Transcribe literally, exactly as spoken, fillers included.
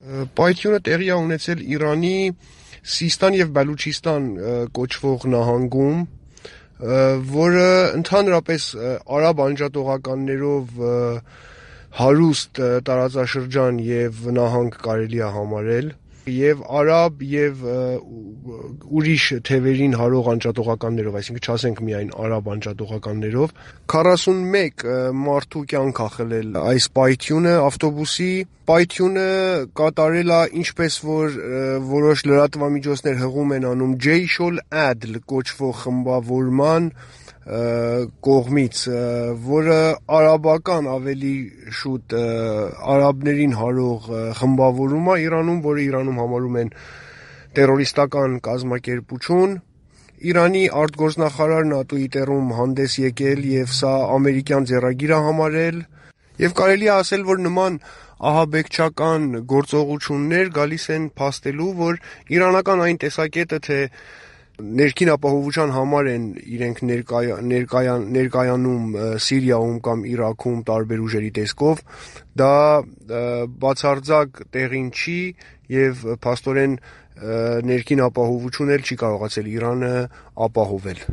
Պայթյունը տեղի է ունեցել Իրանի Սիստան և Բելուչիստան կոչվող նահանգում, որը ընդհանրապես արաբ անջատողականներով հարուստ տարածաշրջան և նահանգ կարելի է համարել, և արաբ և ուրիշ թևերին հարող անջատողականներով, այսինքն չասենք միայն արաբ անջատողականներով, քառասունմեկ մարդու կյանք է խլել այս պայթյունը, ավտոբուսի պայթյունը կատարել է, ինչպես որ որոշ լրատվամիջոցներ հղում են անում, Ջեյշ օլ-Ադլ կոչվող խմբավորման կողմից, որը արաբական ավելի շուտ արաբներին հարող խմբավորում է Իրանում, որը Իրանում համարում են տերորիստական կազմակերպություն։ Իրանի արտգործնախարարն է Twitter-ում հանդես եկել և սա ամերիկյան ձեռագիր է համարել, և կարելի է ասել, որ նման ահաբեկչական գործողություններ գալիս են փաստելու, որ իրանական այն տեսակետը, թե ներքին ապահովության համար են իրենք ներկայ, ներկայ, ներկայանում Սիրիայում կամ Իրաքում տարբեր ուժերի տեսքով, դա բացարձակ տեղին չի և փաստորեն ներքին ապահովություն էլ չի կարողացել Իրանը ապահովել։